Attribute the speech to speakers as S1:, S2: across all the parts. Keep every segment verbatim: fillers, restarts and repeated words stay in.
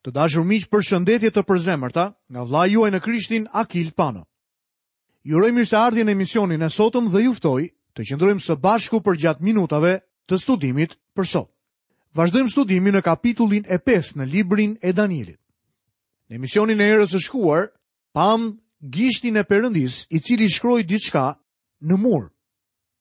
S1: Të dashur miq, përshëndetje të përzemërta nga vëllai juaj në Krishtin Akil Pano. Ju uroj mirëseardhjen në emisionin e sotëm dhe ju ftoj të qëndrojmë së bashku përgjatë minutave të studimit për sot. Vazhdojmë studimin në kapitullin e pestë në librin e Danielit. Në emisionin e herës së shkuar, pam gishtin e Perëndisë, i cili shkroi diçka në mur.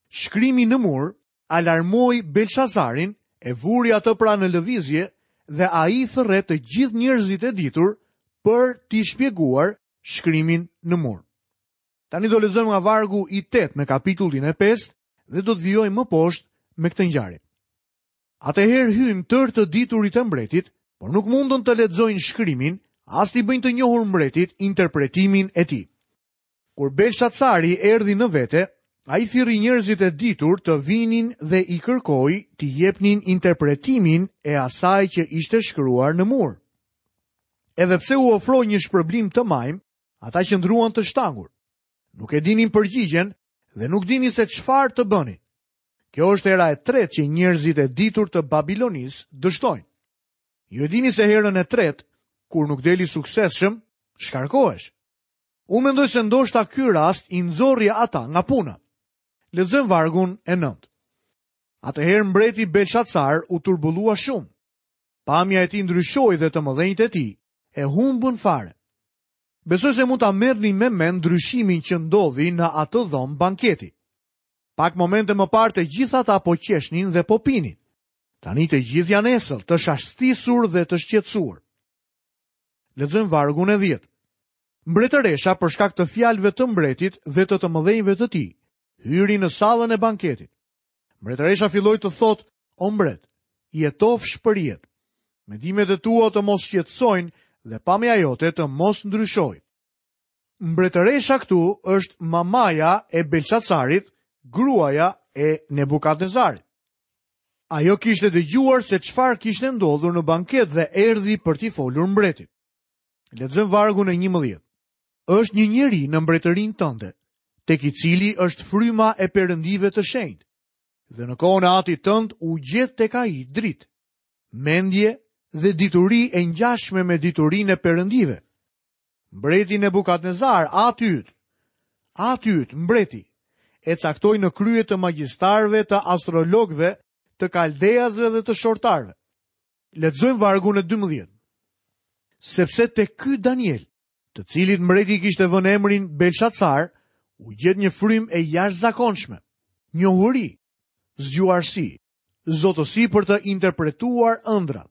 S1: Shkrimi në mur alarmoi Belshazarin, e vuri atë pra në lëvizje dhe ai thërret të gjithë njerëzit e ditur për t'i shpjeguar shkrimin në mur. Tani do lexojmë nga vargu i tetë në kapitullin e pestë dhe do të vijojmë më poshtë me këtë ngjarje. Atëherë hyn tërë të diturit e mbretit, por nuk mundën të lexojnë shkrimin, as t'i bëjnë të njohur mbretit interpretimin e tij. Kur Belshazzari erdhi në vete, ai thirri njerëzit e ditur të vinin dhe i kërkoi t'i jepnin interpretimin e asaj që ishte shkruar në mur. Edhe pse u ofroi një shpërblim të majm, ata qëndruan të shtangur. Nuk e dinin përgjigjen dhe nuk dinin se çfarë të bënin. Kjo është hera e tretë që njerëzit e ditur të Babilonisë dështojnë. Ju e dini se herën e tretë, kur nuk deli suksesshëm, shkarkohesh. Unë mendoj se ndoshta ky rast i nxorri ata nga puna. Lexojmë vargun e nëntë. Atëherë mbreti Belshazzar u turbullua shumë. Pamja e tij ndryshoi dhe të mëdhenjtë e tij e humbën fare. Besoj se mund ta merrni me mend ndryshimin që ndodhi në atë dhomë banketi. Pak momente më parë të gjithë ata po qeshnin dhe po pinin. Tani të gjithë janë esëll, të shastisur dhe të shqetësuar. Lexojmë vargun e dhjetë. Mbretëresha, për shkak të fjalëve të mbretit dhe të të mëdhenjve të tij, hyri në sallën e banketit. Mbretëresha filloi të thotë: "O mbret, jetofsh për jetë. Mendimet e tua të mos shqetësojnë dhe pamja jote të mos ndryshojë." Mbretëresha këtu është mamaja e Belshazarit, gruaja e Nebukadnezarit. Ajo kishte dëgjuar se çfarë kishte ndodhur në banket dhe erdhi për t'i folur mbretit. Lexojmë vargun e njëmbëdhjetë. Është një njeri në mbretërinë tënde, tek i cili është fryma e perëndive të shenjtë, dhe në kohën e atit tënd u gjet tek ai dritë, mendje dhe dituri e ngjashme me diturinë e perëndive. Mbreti Nebukadnezar, ati yt, ati yt, mbreti, e caktoi në krye të magjistarëve, të astrologëve, të kaldeasve dhe të shortarëve. Lexojmë vargun e dymbëdhjetë. Sepse te ky Daniel, të cilit mbreti kishte vënë emrin Belshazzar, u gjet një frymë e jashtëzakonshme, njohuri, zgjuarsi, zotësi për të interpretuar ëndrat,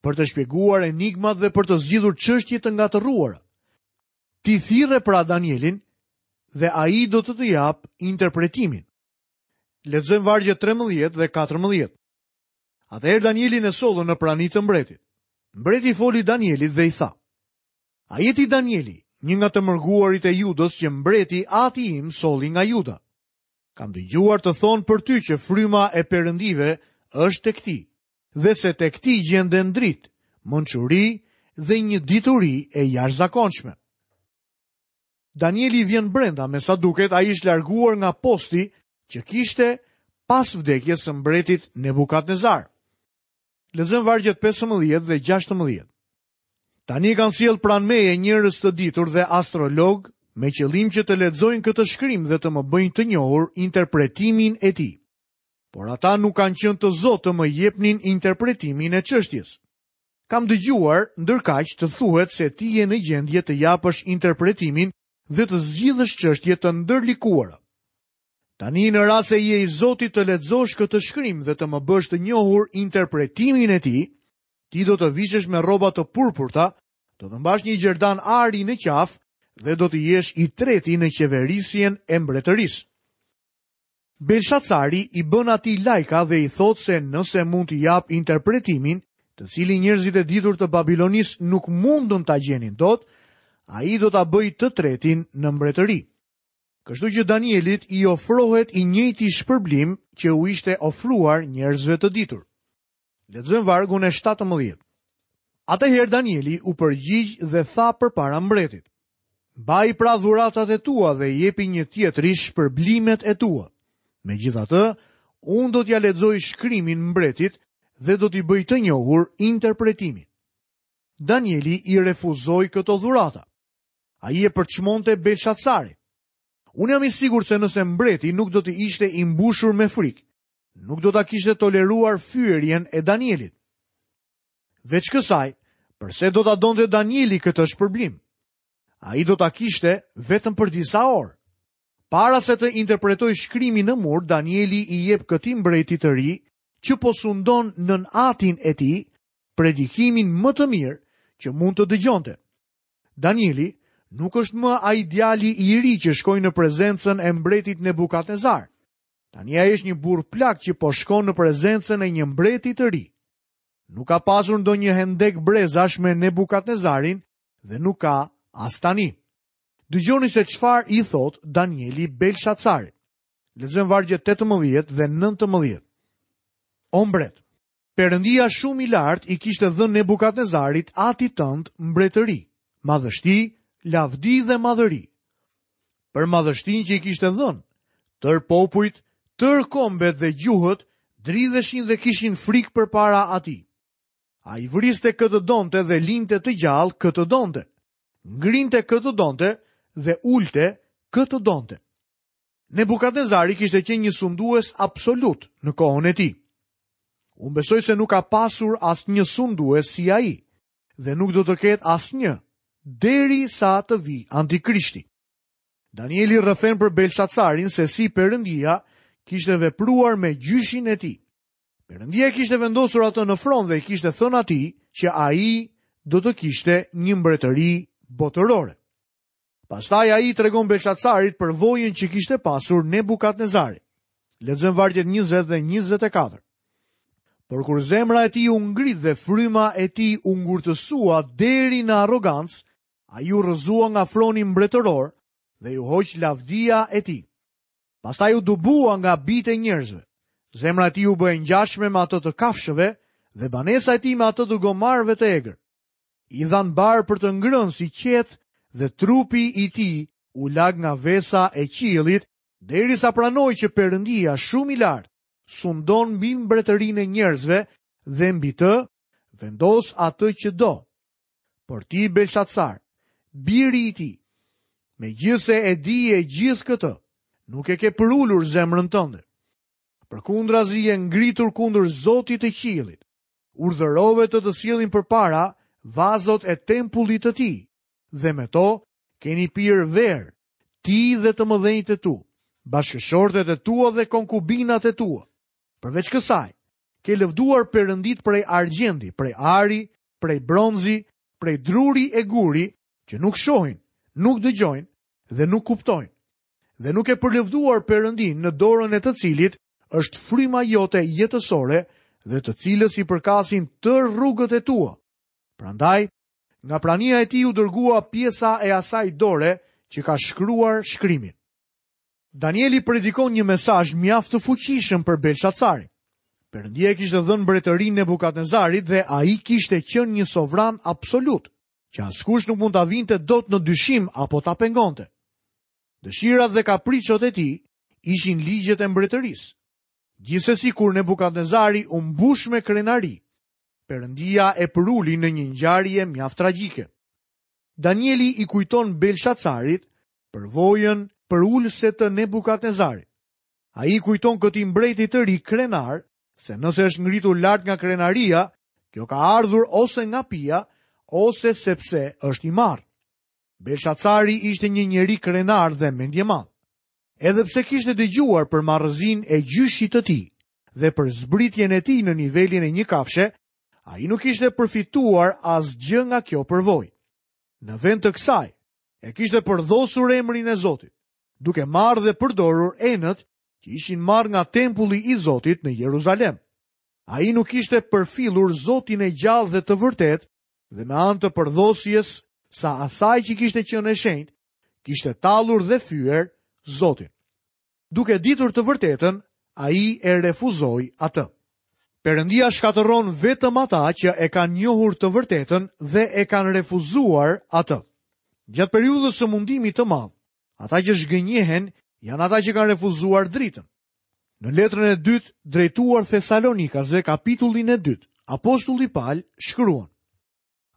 S1: për të shpjeguar enigmat dhe për të zgjidhur çështje të ngatërruara. Ti thirre pra Danielin dhe ai do të të jap interpretimin. Lexojmë vargjet trembëdhjetë dhe katërmbëdhjetë. Atëherë Danielin e sollën në prani të mbretit. Mbreti foli Danielit dhe i tha: "A je ti Danieli, një nga të mërguarit e Judës që mbreti ati im solli nga Juda? Kam dëgjuar të thonë për ty që fryma e perëndive është tek ti, dhe se tek ti gjenden dritë, mençuri dhe një dituri e jashtëzakonshme." Danieli vjen brenda, me sa duket ai është larguar nga posti që kishte pas vdekjes së mbretit Nebukadnezar. Lexojmë vargjet pesëmbëdhjetë dhe gjashtëmbëdhjetë. Tani kanë sjellë pranë meje njerëz të ditur dhe astrolog me qëllim që të lexojnë këtë shkrim dhe të më bëjnë të njohur interpretimin e tij. Por ata nuk kanë qenë të zotë të më jepnin interpretimin e çështjes. Kam dëgjuar ndërkaq të thuhet se ti je në gjendje të japësh interpretimin dhe të zgjidhësh çështje të ndërlikuara. Tani në rast se je i zoti të lexosh këtë shkrim dhe të më bësh të njohur interpretimin e tij, ti do të vishesh me rroba të purpurta, do të mbash një gjerdan ari në qafë dhe do të jesh i treti në qeverisjen e mbretërisë. Belshazzari i bën atij lajka dhe i thotë se nëse mund t'i jap interpretimin, të cilin njerëzit e ditur të Babilonisë nuk mundën ta gjenin dot, ai do ta bëjë të tretin në mbretëri. Kështu që Danielit i ofrohet i njëjti shpërblim që u ishte ofruar njerëzve të ditur. Lexojmë vargun e shtatëmbëdhjetë. Atëherë Danieli u përgjigj dhe tha përpara mbretit: "Mbaj pra dhuratat e tua dhe jepi një tjetri shpërblimet e tua. Megjithatë, unë do t'ja lexoj shkrimin mbretit dhe do t'i bëj të njohur interpretimin." Danieli i refuzoi këto dhurata. Ai e përçmonte Belshazarin. Unë jam i sigurt se nëse mbreti nuk do të ishte i mbushur me frikë, nuk do ta kishte toleruar fyerjen e Danielit. Veç kësaj, përse do ta donte Danieli këtë shpërblim? Ai do ta kishte vetëm për disa orë. Para se të interpretojë shkrimin në mur, Danieli i jep këtij mbreti të ri, që po sundon nën atin e tij, predikimin më të mirë që mund të dëgjonte. Danieli nuk është më ai djali i ri që shkoi në prezencën e mbretit Nebukadnezar. Tani ai është një burr plak që po shkon në prezencën e një mbreti të ri. Nuk ka pasur ndonjë hendek brezash me Nebukadnezarin dhe nuk ka as tani. Dëgjoni se çfarë i thot Danieli Belshazarit. Lexojmë vargjet tetëmbëdhjetë dhe nëntëmbëdhjetë. O mbret, Perëndia shumë i lartë i kishte dhënë Nebukadnezarit atit tënd mbretëri, madhështi, lavdi dhe madhëri. Për madhështinë që i kishte dhënë, tër popujt, tër kombet dhe gjuhët dridheshin dhe kishin frikë përpara atij. Ai vriste kë të donte dhe linte të gjallë kë të donte, ngrinte kë të donte dhe ulte kë të donte. Nebukadnezari kishte qenë një sundues absolut në kohën e tij. Unë besoj se nuk ka pasur asnjë sundues si ai dhe nuk do të ketë asnjë deri sa të vi Antikrishti. Danieli rrëfen për Belshazarin se si Perëndia kishte vepruar me gjyshin e tij. Perëndia kishte vendosur atë në fron dhe i kishte thënë atij që ai do të kishte një mbretëri botërore. Pastaj ai i tregon Belshazarit përvojën që kishte pasur Nebukadnezari. Lexojmë vargjet njëzet dhe njëzet e katër. Por kur zemra e tij u ngrit dhe fryma e tij u ngurtësua deri në arrogancë, ai u rrëzua nga froni mbretëror dhe ju hoq lavdia e tij. Pastaj u dubua nga bijtë e njerëzve. Zemra e tij u bë e ngjashme me atë të kafshëve dhe banesa e tij me atë të gomarëve të egër. I dhan bar për të ngrënë si qetë dhe trupi i tij u lag nga vesa e qiellit derisa pranoi që Perëndia shumë i lartë sundon mbi mbretërinë e njerëzve dhe mbi të vendos atë që do. Por ti, Belshazzar, biri i tij, megjithse e di e gjithë këtë, nuk e ke përulur zemrën tënde. Përkundrazi je ngritur kundër Zotit të qiellit. Urdhërove të të sjellin përpara vazot e tempullit të tij, dhe me to keni pirë verë, ti dhe të mëdhenjtë e tu, bashkëshortet e tua dhe konkubinat e tua. Përveç kësaj, ke lëvduar perëndit prej argjendi, prej ari, prej bronzi, prej druri e guri, që nuk shohin, nuk dëgjojnë dhe nuk kuptojnë. Dhe nuk e përlëvduar perëndin në dorën e të cilit është fryma jote jetësore dhe të cilës i përkasin tërë rrugët e tua. Prandaj, nga prania e tij u dërgua pjesa e asaj dore që ka shkruar shkrimin. Danieli predikon një mesazh mjaft të fuqishëm për Belshazarin. Perëndia kishte dhënë mbretërinë Nebukadnezarit dhe ai kishte qenë një sovran absolut, që askush nuk mund ta vinte dot në dyshim apo ta pengonte. Dëshirat dhe kapriçot e tij ishin ligjet e mbretërisë. Gjithsesi kur Nebukadnezari u mbush me krenari, Perëndia e përuli në një ngjarje mjaft tragjike. Danieli i kujton Belshazarit përvojën përulëse të Nebukadnezarit. Ai i kujton këtij mbreti të ri krenar se nëse është ngritur lart nga krenaria, kjo ka ardhur ose nga pija, ose sepse është i marrë. Belshazzari ishte një njeri krenar dhe mendjemadh. Edhe pse kishte dëgjuar për marrëzinë e gjyshit të tij dhe për zbritjen e tij në nivelin e një kafshe, ai nuk kishte përfituar asgjë nga kjo përvojë. Në vend të kësaj, e kishte përdhosur emrin e Zotit, duke marrë dhe përdorur enët që ishin marrë nga tempulli i Zotit në Jeruzalem. Ai nuk kishte përfillur Zotin e gjallë dhe të vërtetë dhe me anë të përdhosjes sa asaj që kishte qenë e shenjtë, kishte tallur dhe fyer Zotin. Duke ditur të vërtetën, ai e refuzoi atë. Perëndia shkatërron vetëm ata që e kanë njohur të vërtetën dhe e kanë refuzuar atë. Gjatë periudhës së mundimit të madh, ata që zhgënjehen janë ata që kanë refuzuar dritën. Në letrën e dytë drejtuar Thesalonikasve, kapitullin e dytë, apostulli Paul shkruan: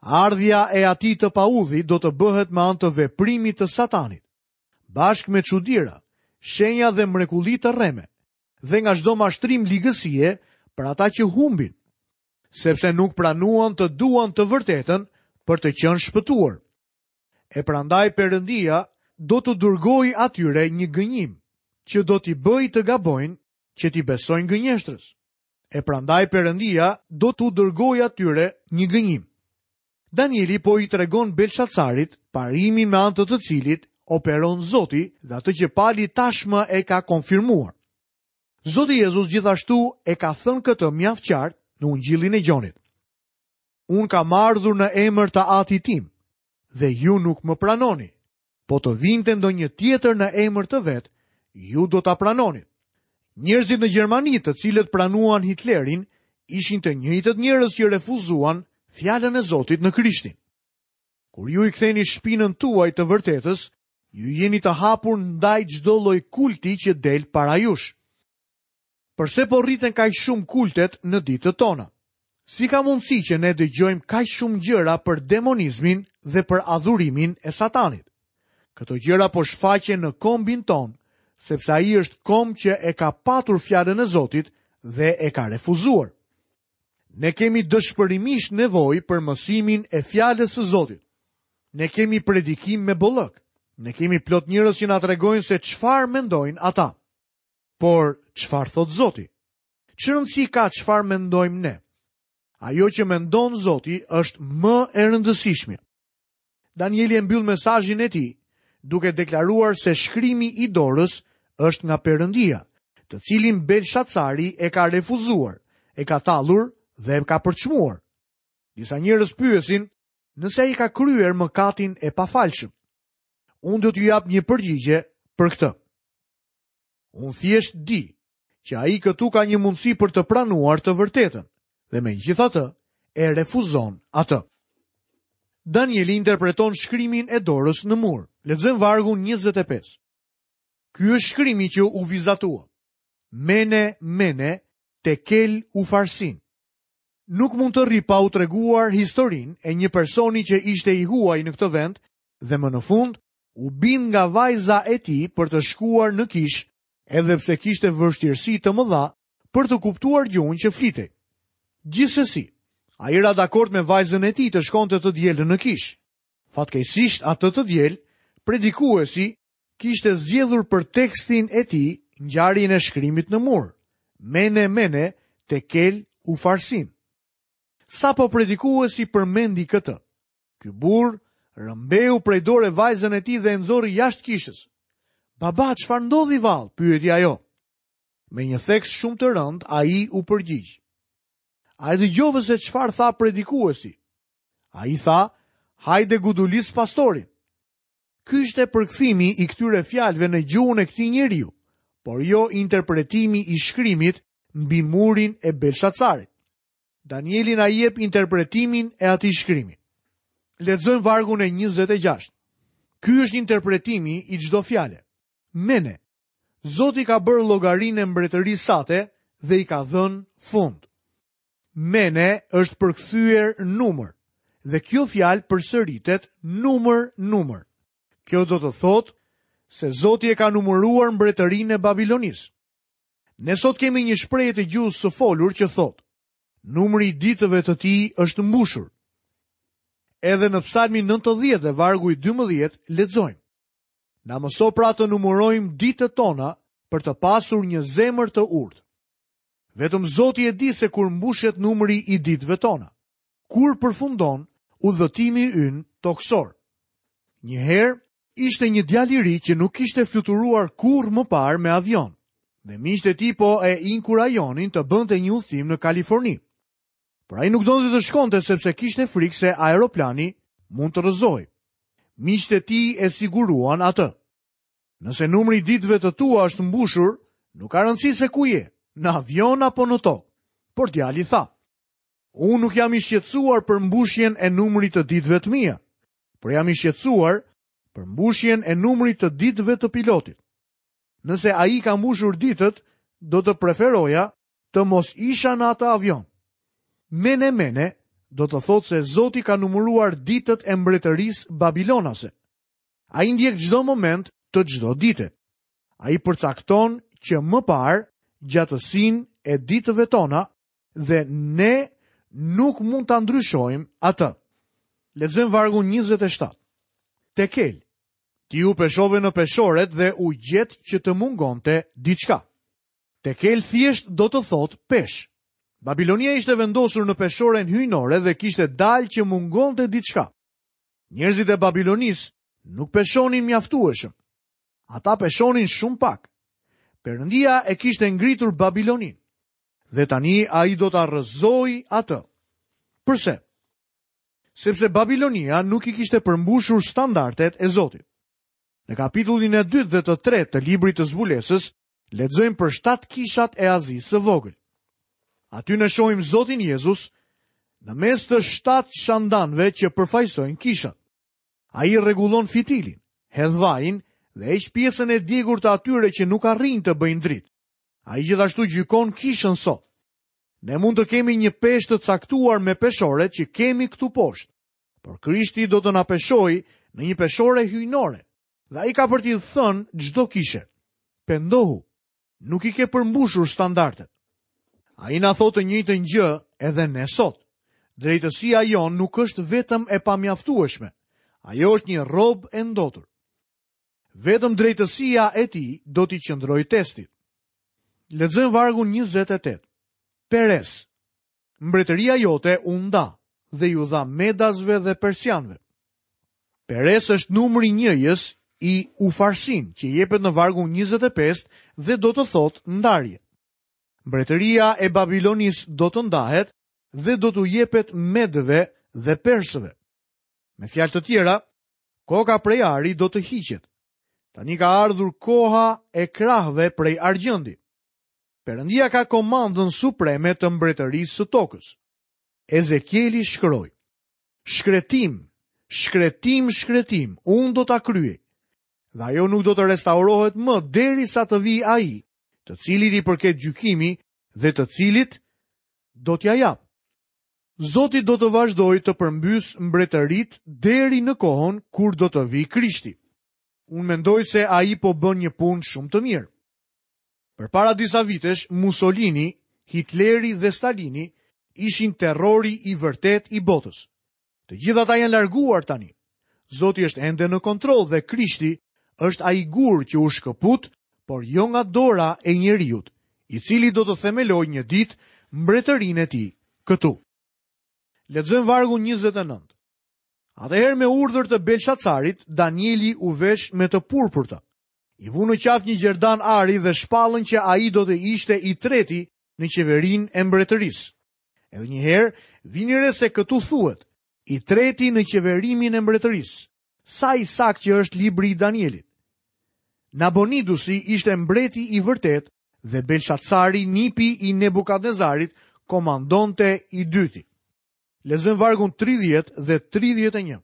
S1: Ardhja e atij të paudhit do të bëhet me anë të veprimit të Satanit, bashkë me çudira, shenja dhe mrekulli të rreme, dhe nga çdo mashtrim ligësie për ata që humbin, sepse nuk pranuan të duan të vërtetën për të qenë shpëtuar. E prandaj Perëndia do të dërgojë atyre një gënjim, që do t'i bëjë të gabojnë, që t'i besojnë gënjeshtrës. E prandaj Perëndia do t'u dërgojë atyre një gënjim. Danieli po i tregon Belshazarit parimin me anë të të cilit operon Zoti dhe atë që Pali tashmë e ka konfirmuar. Zoti Jezus gjithashtu e ka thënë këtë mjaft qartë në Ungjillin e Gjonit. Unë kam ardhur në emër të Atit tim dhe ju nuk më pranoni. Po të vinte ndonjë tjetër në emër të vet, ju do ta pranoni. Njerëzit në Gjermani, të cilët pranuan Hitlerin, ishin të njëjtët njerëz që refuzuan fjalën e Zotit në Krishtin. Kur ju i ktheni shpinën tuaj të vërtetës, ju jeni të hapur ndaj çdo lloj kulti që del para jush. Përse po rriten kaq shumë kultet në ditët tona? Si ka mundësi që ne dëgjojmë kaq shumë gjëra për demonizmin dhe për adhurimin e Satanit? Këto gjëra po shfaqen në kombin ton, sepse ai është komb që e ka patur fjalën e Zotit dhe e ka refuzuar. Ne kemi dëshpërimisht nevojë për mësimin e fjalës së Zotit. Ne kemi predikim me bollëk. Ne kemi plot njerëz që na tregojnë se çfarë mendojnë ata. Por çfarë thot Zoti? Ç'rëndësi ka çfarë mendojmë ne? Ajo që mendon Zoti është më e rëndësishmja. Danieli e mbyll mesazhin e tij duke deklaruar se shkrimi i dorës është nga Perëndia, të cilin Belshazzari e ka refuzuar, e ka tallur dhe e ka përçmuar. Disa njerëz pyesin nëse ai ka kryer mëkatin e pafalshëm. Unë do t'ju jap një përgjigje për këtë. Unë thjesht di që ai këtu ka një mundësi për të pranuar të vërtetën dhe megjithatë e refuzon atë. Danieli interpreton shkrimin e dorës në mur. Lexojmë vargun njëzet e pesë. Ky është shkrimi që u vizatua. Mene, mene, tekel u farsin. Nuk mund të rri pa u treguar historinë e një personi që ishte i huaj në këtë vend dhe më në fund u bind nga vajza e tij për të shkuar në kish, edhe pse kishte vështirësi të mëdha për të kuptuar gjuhën që flitej. Gjithsesi, ai ra dakord me vajzën e tij të shkonte të dielën në kish. Fatkeqësisht atë të diel, predikuesi kishte zgjedhur për tekstin e tij ngjarjen e shkrimit në mur. Mene, mene, tekel u farsin. Sapo predikuesi përmendi këtë, ky burr rëmbeu prej dore vajzën e tij dhe e nxori jashtë kishës. Baba, çfarë ndodhi vallë? Pyeti ajo. Me një theks shumë të rënd, ai u përgjigj. A e dëgjove se çfarë tha predikuesi? Ai tha, hajde gudulis pastorin. Ky ishte përkthimi i këtyre fjalëve në gjuhën e këtij njeriu, por jo interpretimi i shkrimit mbi murin e Belshazarit. Danieli na jep interpretimin e atij shkrimi. Lexojmë vargun e njëzet e gjashtë. Ky është interpretimi i çdo fjale. Mene, Zoti ka bërë llogarinë e mbretërisë sate dhe i ka dhënë fund. Mene është përkthyer numër dhe kjo fjalë përsëritet numër numër. Kjo do të thotë se Zoti e ka numëruar mbretërinë e Babilonisë. Ne sot kemi një shprehje të gjuhës së folur që thotë: numri i ditëve të tij është mbushur. Edhe në Psalmin nëntëdhjetë dhe vargu i dymbëdhjetë lexojmë: Na mëso pra të numërojmë ditët tona për të pasur një zemër të urtë. Vetëm Zoti e di se kur mbushet numri i ditëve tona, kur përfundon udhëtimi ynë toksor. Një herë ishte një djalë i ri që nuk kishte fluturuar kurrë më parë me avion, dhe miqtë e tij po e inkurajonin të bënte një udhëtim në Kaliforni. Por ai nuk donte të shkonte sepse kishte frikë se aeroplani mund të rrëzohej. Miqtë e tij e siguruan atë. Nëse numri i ditëve të tua është mbushur, nuk ka rëndësi se ku je, në avion apo në tokë. Por djali tha: Unë nuk jam i shqetësuar për mbushjen e numrit të ditëve të mia, por jam i shqetësuar për mbushjen e numrit të ditëve të pilotit. Nëse ai ka mbushur ditët, do të preferoja të mos isha në atë avion. Mene, mene, do të thotë se Zoti ka numëruar ditët e mbretërisë babilonase. Ai ndjek çdo moment të çdo dite. Ai përcakton që më parë gjatësinë e ditëve tona dhe ne nuk mund ta ndryshojmë atë. Lexojmë vargun njëzet e shtatë. Tekel, ti u peshove në peshoret dhe u gjet që të mungonte diçka. Tekel thjesht do të thotë peshë. Babilonia ishte vendosur në peshoren hyjnore dhe kishte dalë që mungonte diçka. Njerëzit e Babilonisë nuk peshonin mjaftueshëm. Ata peshonin shumë pak. Perëndia e kishte ngritur Babiloninë dhe tani ai do ta rrëzojë atë. Përse? Sepse Babilonia nuk i kishte përmbushur standardet e Zotit. Në kapitullin e dytë dhe të tretë të librit të Zbulesës, lexojmë për shtatë kishat e Azisë së vogël. Aty ne shohim Zotin Jezus në mes të shtatë shandanëve që përfaqësojnë kishat. Ai rregullon fitilin, hedh vajin dhe heq pjesën e djegur të atyre që nuk arrijnë të bëjnë dritë. Ai gjithashtu gjykon kishën sot. Ne mund të kemi një peshë të caktuar me peshoret që kemi këtu poshtë, por Krishti do të na peshojë në një peshore hyjnore, dhe ai ka për t'i thënë çdo kishe: "Pendohu, nuk i ke përmbushur standardet." Ai na thotë të njëjtën gjë edhe ne sot. Drejtësia jonë nuk është vetëm e pamjaftueshme, ajo është një rrobë e ndotur. Vetëm drejtësia e tij do t'i qëndrojë testit. Lexojmë vargun njëzet e tetë. Peres, mbretëria jote u nda dhe ju dha Medasve dhe Persianëve. Peres është numri njëjës i Ufarsin, që jepet në vargun njëzet e pesë dhe do të thotë ndarje. Mbretëria e Babilonisë do të ndahet dhe do t'u jepet Medëve dhe Persëve. Me fjalë të tjera, koka prej ari do të hiqet. Tani ka ardhur koha e krahëve prej argjendi. Perëndia ka komandën supreme të mbretërisë së tokës. Ezekieli shkroi: Shkretim, shkretim, shkretim, unë do ta kryej. Dhe ajo nuk do të restaurohet më derisa të vijë ai, të cilit i përket gjykimi dhe të cilit do t'ja jap. Zoti do të vazhdojë të përmbys mbretërit deri në kohën kur do të vijë Krishti. Unë mendoj se ai po bën një punë shumë të mirë. Përpara disa vitesh, Mussolini, Hitleri dhe Stalini ishin terrori i vërtet i botës. Të gjithë ata janë larguar tani. Zoti është ende në kontroll dhe Krishti është ai gur që u shkëput, por jo nga dora e njeriut, i cili do të themelojë një ditë mbretërinë e tij këtu. Lexojmë vargun njëzet e nëntë. Atëherë me urdhër të Belshazarit, Danieli u vesh me të purpurta. I vu në qafë një gjerdan ari dhe shpallën që ai do të ishte i treti në qeverinë e mbretërisë. Edhe një herë, vini re se këtu thuhet, i treti në qeverimin e mbretërisë. Sa i saktë që është libri i Danielit. Nabonidusi ishte mbreti i vërtet dhe Belshazzari, nipi i Nebukadnezarit, komandonte i dyti. Lexojmë vargun tridhjetë dhe tridhjetë e një.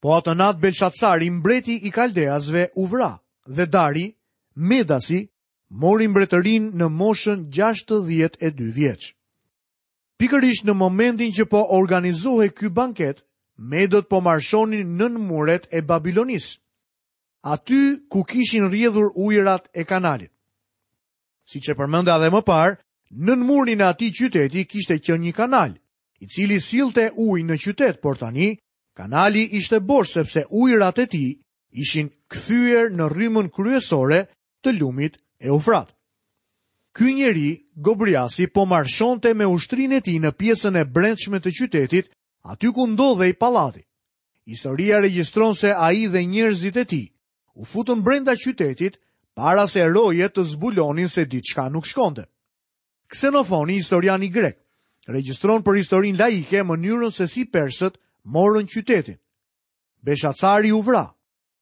S1: Po atë natë Belshazzari, mbreti i Kaldeasve, u vra dhe Dari, Medasi, mori mbretërinë në moshën gjashtëdhjetë e dy vjeç. Pikërisht në momentin që po organizohej ky banket, Medët po marshonin nën muret e Babilonisë, aty ku kishin rrjedhur ujërat e kanalit. Siç e përmenda edhe më parë, nën murin e atij qyteti kishte qenë një kanal, i cili sillte ujë në qytet, por tani kanali ishte bosh sepse ujërat e tij ishin kthyer në rrymën kryesore të lumit Eufrat. Ky njeri, Gobriasi, po marshonte me ushtrinë e tij në pjesën e brendshme të qytetit, aty ku ndodhej pallati. Historia regjistron se ai dhe njerëzit e tij u futën brenda qytetit para se rojet të zbulonin se diçka nuk shkonte. Ksenofoni, historiani grek, regjistron për historinë laike mënyrën se si persët morën qytetin. Belshazzari u vra.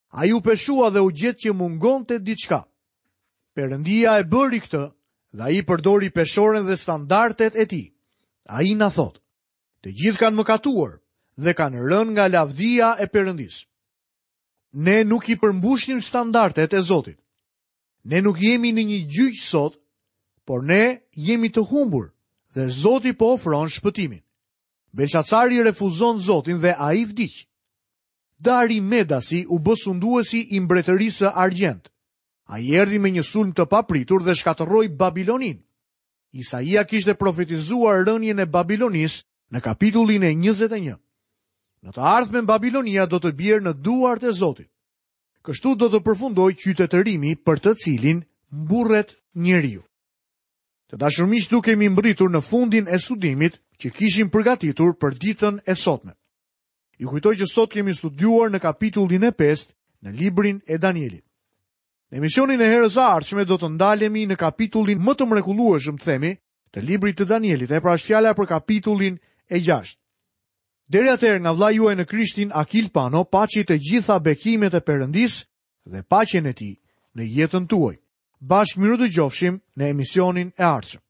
S1: Ai u peshua dhe u gjet që mungonte diçka. Perëndia e bëri këtë dhe ai përdori peshoren dhe standardet e tij. Ai na thotë: të gjithë kanë mëkatuar dhe kanë rënë nga lavdia e Perëndisë. Ne nuk i përmbushnim standardet e Zotit. Ne nuk jemi në një gjyq sot, por ne jemi të humbur dhe Zoti po ofron shpëtimin. Belshatsari refuzon Zotin dhe ai vdiq. Dari Medasi u bë sunduesi i mbretërisë së argjendtë. Ai erdhi me një sulm të papritur dhe shkatërroi Babiloninë. Isaia kishte profetizuar rënien e Babilonisë në kapitullin e njëzet e një. Në të ardhmen Babilonia do të bjerë në duart e Zotit. Kështu do të përfundojë qytetërimi për të cilin mburret njeriu. Të dashur miq, këtu kemi mbërritur në fundin e studimit që kishim përgatitur për ditën e sotme. Ju kujtoj që sot kemi studiuar në kapitullin e pestë në librin e Danielit. Në emisionin e herës së ardhshme do të ndalemi në kapitullin më të mrekullueshëm, themi, të librit të Danielit, e pra është fjala për kapitullin e gjashtë. Deri atëherë nga vëllai juaj në Krishtin Akil Pano, paçi të gjitha bekimet e Perëndisë dhe paqen e tij në jetën tuaj. Bashkë mirudëgjofshim në emisionin e ardhshëm.